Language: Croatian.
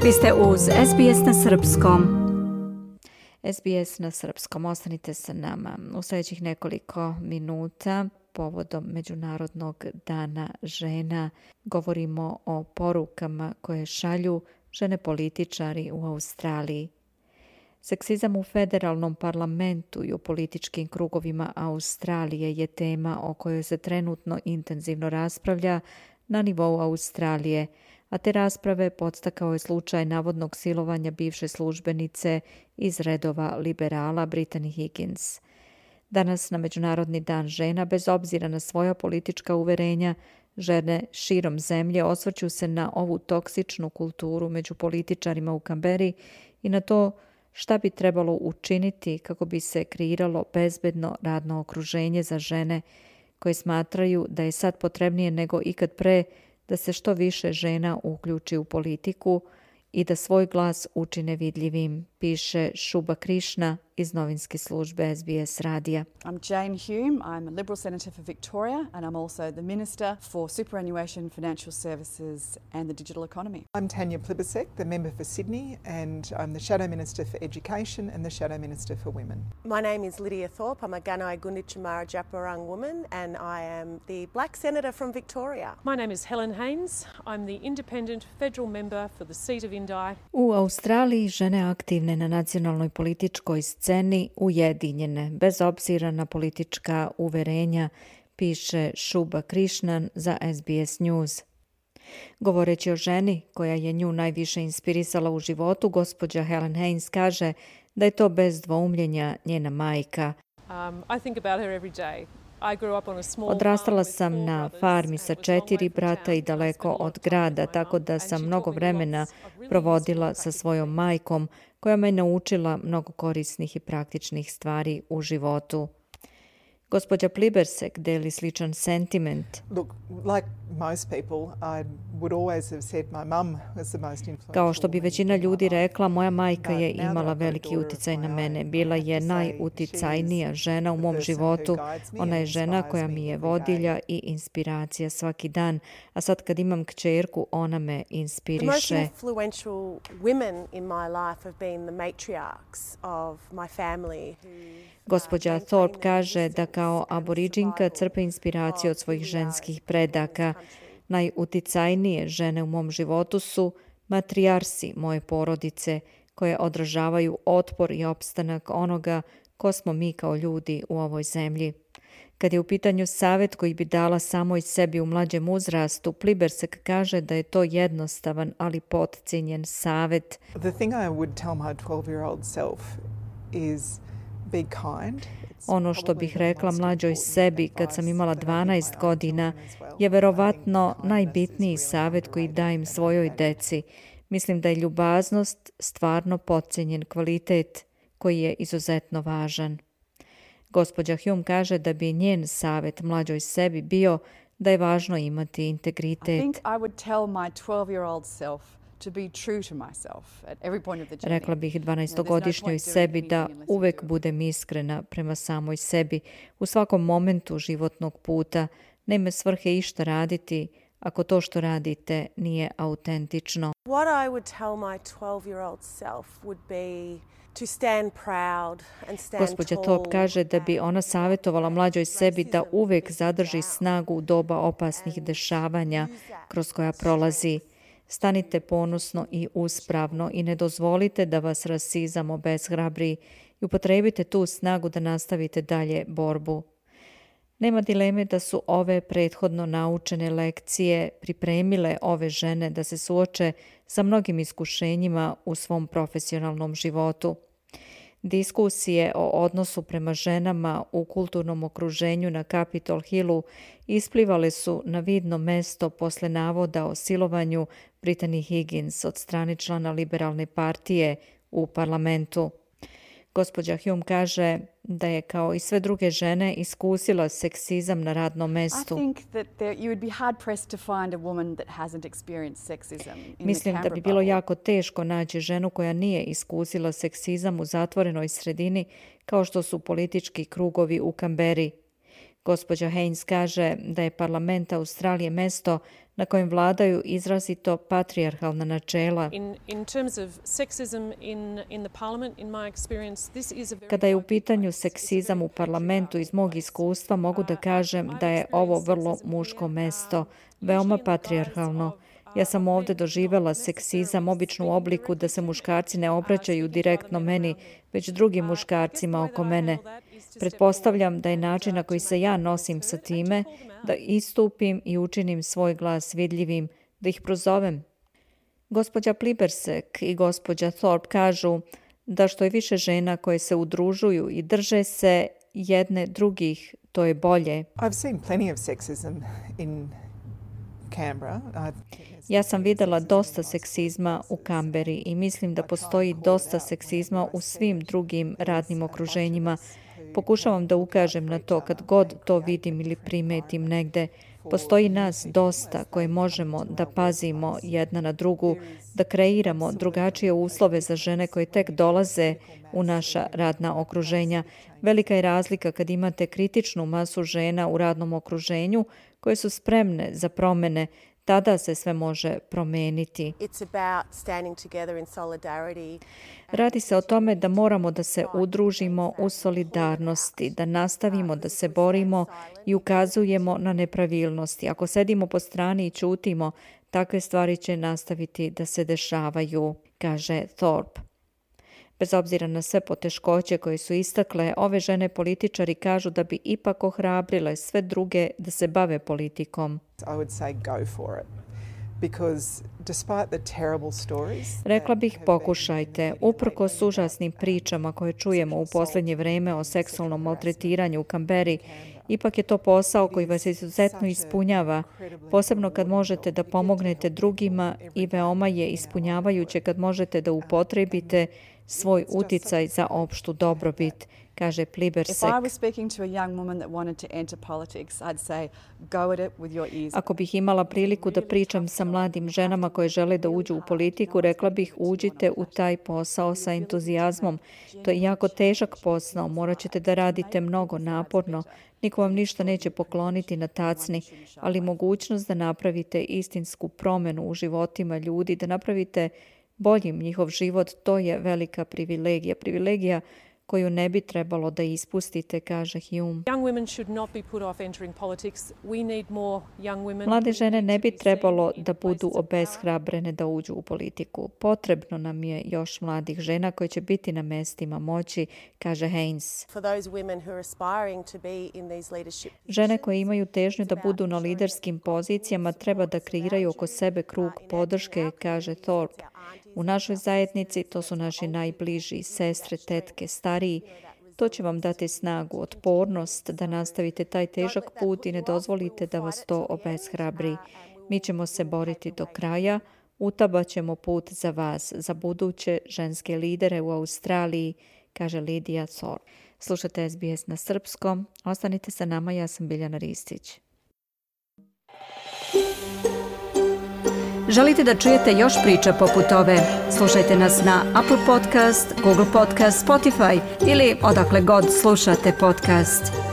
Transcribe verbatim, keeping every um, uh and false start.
Vi ste uz S B S na srpskom. S B S na srpskom. Ostanite sa nama. U sljedećih nekoliko minuta povodom Međunarodnog dana žena govorimo o porukama koje šalju žene političari u Australiji. Seksizam u federalnom parlamentu i u političkim krugovima Australije je tema o kojoj se trenutno intenzivno raspravlja na nivou Australije, a te rasprave podstakao je slučaj navodnog silovanja bivše službenice iz redova liberala Brittany Higgins. Danas na Međunarodni dan žena, bez obzira na svoja politička uverenja, žene širom zemlje osvrću se na ovu toksičnu kulturu među političarima u Kamberi i na to šta bi trebalo učiniti kako bi se kreiralo bezbedno radno okruženje za žene koje smatraju da je sad potrebnije nego ikad pre da se što više žena uključi u politiku i da svoj glas učine vidljivim, piše Shubha Krishna iz novinske službe S B S radija. I'm Jane Hume. I'm a Liberal Senator for Victoria and I'm also the Minister for Superannuation, Financial Services and the Digital Economy. I'm Tanya Plibersek, the member for Sydney, and I'm the Shadow Minister for Education and the Shadow Minister for Women. My name is Lydia Thorpe. I'm a Gunai Gunditjmara Djapurrung woman and I am the Black Senator from Victoria. My name is Helen Haynes. I'm the Independent Federal Member for the seat of Indi. U Australiji žene aktivne na nacionalnoj političkoj sceni ujedinjene, bez obzira na politička uverenja, piše Shubha Krishnan za S B S News. Govoreći o ženi koja je nju najviše inspirisala u životu, gospođa Helen Haynes kaže da je to bez dvoumljenja njena majka. Um, I think about her every day. Odrastala sam na farmi sa četiri brata i daleko od grada, tako da sam mnogo vremena provodila sa svojom majkom, koja me naučila mnogo korisnih i praktičnih stvari u životu. Gospođa Plibersek deli sličan sentiment. Look, like most people, I would always have said my mum was the most influential. Kao što bi većina ljudi rekla, moja majka je imala veliki uticaj na mene. Bila je najuticajnija žena u mom životu. Ona je žena koja mi je vodilja i inspiracija svaki dan. A sad kad imam kćerku, ona me inspiriše. The most influential women in my life have been the matriarchs of my family. Gospođa Thorpe kaže da kao aboriđinka crpe inspiraciju od svojih ženskih predaka. Najuticajnije žene u mom životu su matrijarsi moje porodice, koje odražavaju otpor i opstanak onoga ko smo mi kao ljudi u ovoj zemlji. Kad je u pitanju savjet koji bi dala samoj sebi u mlađem uzrastu, Plibersek kaže da je to jednostavan, ali potcijenjen savjet. The thing I would tell my twelve-year-old self is be kind. Ono što bih rekla mlađoj sebi kad sam imala dvanaest godina je verovatno najbitniji savjet koji dajem svojoj deci. Mislim da je ljubaznost stvarno potcijenjen kvalitet koji je izuzetno važan. Gospođa Hume kaže da bi njen savjet mlađoj sebi bio da je važno imati integritet. I think I would tell my twelve-year-old self to be true to myself at every point of the journey. Rekla bih dvanaestogodišnjoj sebi da uvek budem iskrena prema samoj sebi u svakom momentu životnog puta. Nema svrhe išta raditi ako to što radite nije autentično. What I would tell my twelve-year-old self would be to stand proud and stand Gospođa tall. Thorpe kaže da bi ona savjetovala mlađoj sebi da uvek zadrži snagu u doba opasnih dešavanja kroz koja prolazi. Stanite ponosno i uspravno i ne dozvolite da vas rasizam obeshrabri i upotrebite tu snagu da nastavite dalje borbu. Nema dileme da su ove prethodno naučene lekcije pripremile ove žene da se suoče sa mnogim iskušenjima u svom profesionalnom životu. Diskusije o odnosu prema ženama u kulturnom okruženju na Capitol Hillu isplivale su na vidno mesto posle navoda o silovanju Brittany Higgins od strane člana liberalne partije u parlamentu. Gospođa Hume kaže da je kao i sve druge žene iskusila seksizam na radnom mestu. Mislim da bi bilo jako teško naći ženu koja nije iskusila seksizam u zatvorenoj sredini kao što su politički krugovi u Kamberi. Gospođa Haynes kaže da je parlament Australije mesto na kojem vladaju izrazito patrijarhalna načela. In, in terms of sexism in, in the parliament, in my experience, this is a very... Kada je u pitanju seksizam u parlamentu, iz mog iskustva mogu da kažem da je ovo vrlo muško mesto, veoma patrijarhalno. Ja sam ovdje doživjela seksizam obično u obliku da se muškarci ne obraćaju direktno meni, već drugim muškarcima oko mene. Pretpostavljam da je način na koji se ja nosim sa time da istupim i učinim svoj glas vidljivim, da ih prozovem. Gospođa Plibersek i gospođa Thorpe kažu da što je više žena koje se udružuju i drže se jedne drugih, to je bolje. I've seen plenty of sexism in Canberra. Ja sam vidjela dosta seksizma u Kamberi i mislim da postoji dosta seksizma u svim drugim radnim okruženjima. Pokušavam da ukažem na to kad god to vidim ili primetim negde. Postoji nas dosta koji možemo da pazimo jedna na drugu, da kreiramo drugačije uslove za žene koje tek dolaze u naša radna okruženja. Velika je razlika kad imate kritičnu masu žena u radnom okruženju koje su spremne za promjene. Tada se sve može promeniti. Radi se o tome da moramo da se udružimo u solidarnosti, da nastavimo da se borimo i ukazujemo na nepravilnosti. Ako sedimo po strani i ćutimo, takve stvari će nastaviti da se dešavaju, kaže Thorpe. Bez obzira na sve poteškoće koje su istakle, ove žene političari kažu da bi ipak ohrabrile sve druge da se bave politikom. I would say go for it. Because despite the terrible stories, Rekla bih pokušajte, uprkos užasnim pričama koje čujemo u posljednje vrijeme o seksualnom maltretiranju u Kamberi, ipak je to posao koji vas izuzetno ispunjava, posebno kad možete da pomognete drugima i veoma je ispunjavajuće kad možete da upotrebite svoj uticaj za opštu dobrobit, kaže Plibersek. Ako bih imala priliku da pričam sa mladim ženama koje žele da uđu u politiku, rekla bih uđite u taj posao sa entuzijazmom. To je jako težak posao, morat ćete da radite mnogo naporno. Niko vam ništa neće pokloniti na tacni, ali mogućnost da napravite istinsku promjenu u životima ljudi, da napravite boljim njihov život, to je velika privilegija. Privilegija koju ne bi trebalo da ispustite, kaže Hume. Mlade žene ne bi trebalo da budu obeshrabrene da uđu u politiku. Potrebno nam je još mladih žena koje će biti na mestima moći, kaže Haynes. Žene koje imaju težnju da budu na liderskim pozicijama treba da kreiraju oko sebe krug podrške, kaže Thorpe. U našoj zajednici to su naši najbliži, sestre, tetke, stariji. To će vam dati snagu, otpornost da nastavite taj težak put i ne dozvolite da vas to obeshrabri. Mi ćemo se boriti do kraja, utabaćemo put za vas, za buduće ženske lidere u Australiji, kaže Lidija Thorpe. Slušate S B S na srpskom. Ostanite sa nama, ja sam Biljana Ristić. Želite da čujete još priča poput ove? Slušajte nas na Apple Podcast, Google Podcast, Spotify ili odakle god slušate podcast.